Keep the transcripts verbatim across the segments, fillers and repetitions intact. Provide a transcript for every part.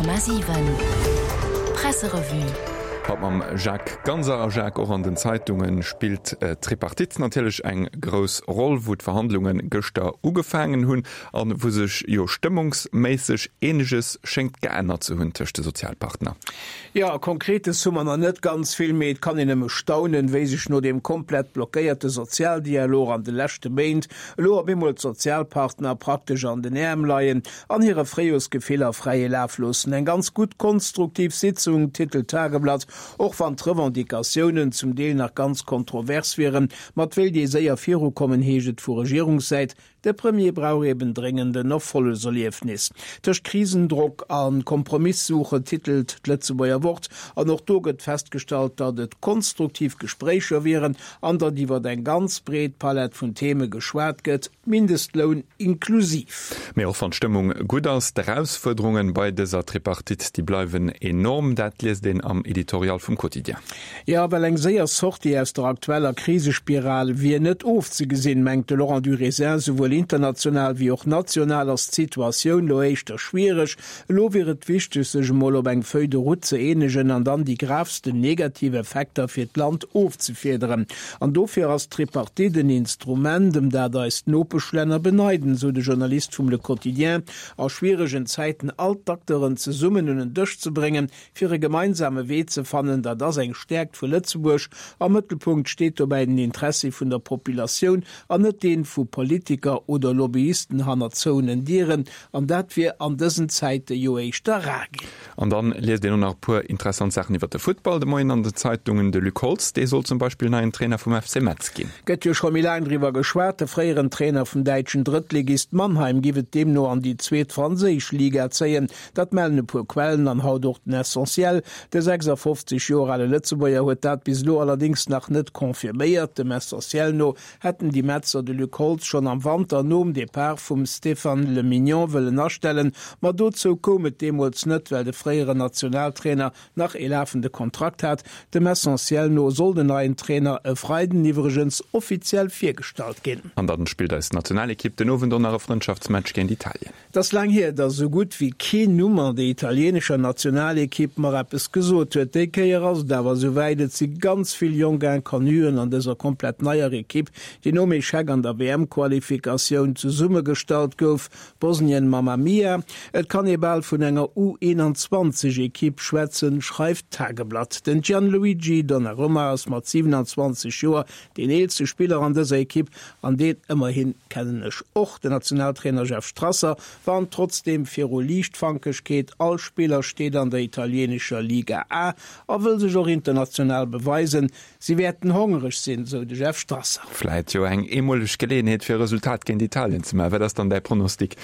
Komma siwen Presserevue. Haut mam Jacques Ganser. A Jacques, och an den Zeitunge spillt d'Tripartite natierlech eng grouss Roll, wou d'Verhandlunge gëschter ugefaangen hunn an wou sech jo stëmmungsméisseg eeneges schéngt geännert ze hunn tëscht de Sozialpartner. Jo, Konkretes hu mer nach net ganz vill, mee et kann een nëmme staunen, wéi sech no deem komplett blockéierte Sozialdialog an de leschte Méint elo op eemol d'Sozialpartner praktesch an den Äerm leien an hire Fréijorsgefiller fräie Laf loossen. Eng ganz gutt konstruktiv Sitzung, titelt d'Tageblatt, och wann d'Revendicatiounen zum Deel nach ganz kontrovers wieren. Ma et wéilt ee séier virukommen, heescht et vu Regierungssäit. De Premier brauch eben dréngend en Erfollegerliefnis. Tëscht Krisendrock a Kompromisssuche, titelt d'Lëtzebuerger Wort. An och do gëtt festgestallt, datt et konstruktiv Gespréicher wieren an datt iwwer eng ganz breet Palett vun Theme geschwat gëtt, Mindestloun inklusiv. Mee och wann d'Stëmmung gutt ass, d'Erausfuerderunge bei dëser Tripartite, déi bleiwen enorm. Dat liest een am Editorial vum Quotidien. Jo, well eng séier Sortie aus der aktueller Krisespiral wier net ofzegesinn, mengt de Laurent Durisin. Souwuel international wéi och national ass d'Situatioun lo éischter schwiereg. Elo wier et wichteg, sech emol op eng Feuille de route ze eenegen an dann déi gravsten negativ Effekter fir d'Land ofzefiederen. An dofir ass d'Tripartite en Instrument, ëm dat eis d'Nopeschlänner beneiden, sou de Journalist vum Le Quotidien. A schwieregen Zäiten all d'Acteuren zesummen un en Dësch ze bréngen, fir e gemeinsame Wee ze fannen, dat ass eng Stäerkt vu Lëtzebuerg. Am Mëttelpunkt steet dobäi den Interessi vun der Populatioun an net dee vu Politiker oder Lobbyisten hanner zouenen Dieren. An dat wier an dësen Zäite jo éischter rar ginn. An dann liest een och nach e puer interessant Saachen iwwer de Futtball de Moien an den Zeitungen. De Luc Holtz, dee soll zum Beispill neien Trainer vum F C Metz ginn. Gëtt jo scho méi laang driwwer geschwat. De fréieren Trainer vum däitschen Drëttligist Mannheim giff et deemno an déi zweet franséisch Liga zéien. Dat mellen e puer Quellen an haut och den Essentiel. De sechsafofzeg Joer ale Lëtzebuerger huet dat bis elo allerdéngs nach net confirméiert. Dem Essentiel no hätten déi Metzer de Luc Holtz schonn am Wanter nom Depart vum Stéphane Le Mignon wëllen astellen, ma dozou koum et deemools net, well de fréieren Nationaltrainer nach ee lafende Kontrakt hat. Dem Essentiel no soll den neien Trainer e Freiden iwwregens offiziell virgestallt ginn. An dann spillt eis Nationalekipp den Owend och nach e Frëndschaftsmatch géint Italien. Et ass laang hier, datt esou gutt wéi keen Numm an der italieenescher Nationalekipp mer eppes gesot huet. Déi Kéier ass et awer esou wäit, et si ganz vill jonk Inconnuen an dëser komplett neier Ekipp, déi nom Echec an der W M-Qualifikatioun zesummegestallt gouf. Bosnien, Mamma Mia, et kann ee bal vun enger U einundzwanzeg Ekipp schwätzen, schreift d'Tageblatt. Den Gianluigi Donnarumma ass mat siewenundzwanzeg Joer deen eelste Spiller an dëser Ekipp an deen ëmmerhi kennen ech och. Den Nationaltrainer Jeff Strasser warnt trotzdeem viru Liichtfankegkeet, all Spiller steet an der italieenescher Liga A a wëll sech och international beweisen. Si wäerten hongereg sinn, sou de Jeff Strasser. Vläit jo eng eemoleg Geleeënheet fir e Resultat géint Italien ze maachen. Wat ass dann däi Pronostic?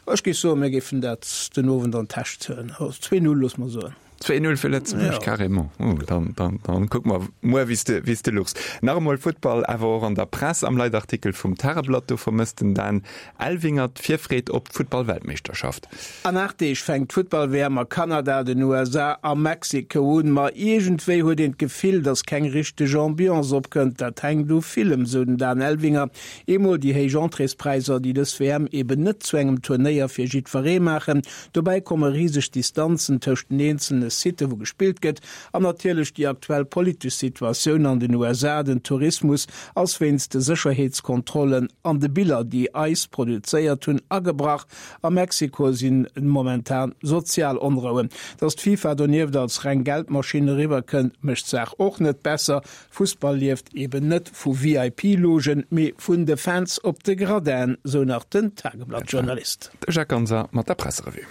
Ech géif soen, mir géifen dat den Owend an d'Täsch zéien. Zwee Null, loosse mer soen. Zwee Null fir Lëtzebuerg, carrément. Oh, dann, dann, dann kucke mer muer, wéi s de, wéi s de luchs. Nach emol Futtball, awer och an der Press. Am Leitartikel vum Tageblatt, do vermësst den Dan Elvinger d'Virfreed op d'Futtball-Weltmeeschterschaft. An aacht Deeg fänkt d'Futtball-W M a Kanada, den U S A a Mexiko un. Ma iergendwéi huet een d'Gefill, datt keng richteg Ambiance opkënnt. Dat hänkt u villem, sou den Dan Elvinger. Eemol déi héich Entréespräisser, déi dës W M eben net zu engem Turnéier fir jiddweree maachen. Dobäi komme riseg Distanzen tëscht den eenzelne Sitte wou gespillt gëtt an natierlech déi aktuell politesch Situatioun an den U S A. Den Tourismus ass wéinst de Sécherheetskontrollen an de Biller, déi ice produzéiert hunn, agebrach. A Mexiko si momentan sozial Onrouen. Datt d'FIFA donieft als reng Geldmaschinn eriwwer kënnt, mécht d'Saach och net besser. Fussball lieft eben net vu V I P-Logen, mee vun de Fans op de Gradinen, sou nach den Tageblatt-Journalist. De Jacques Ganser mat der Presserevue.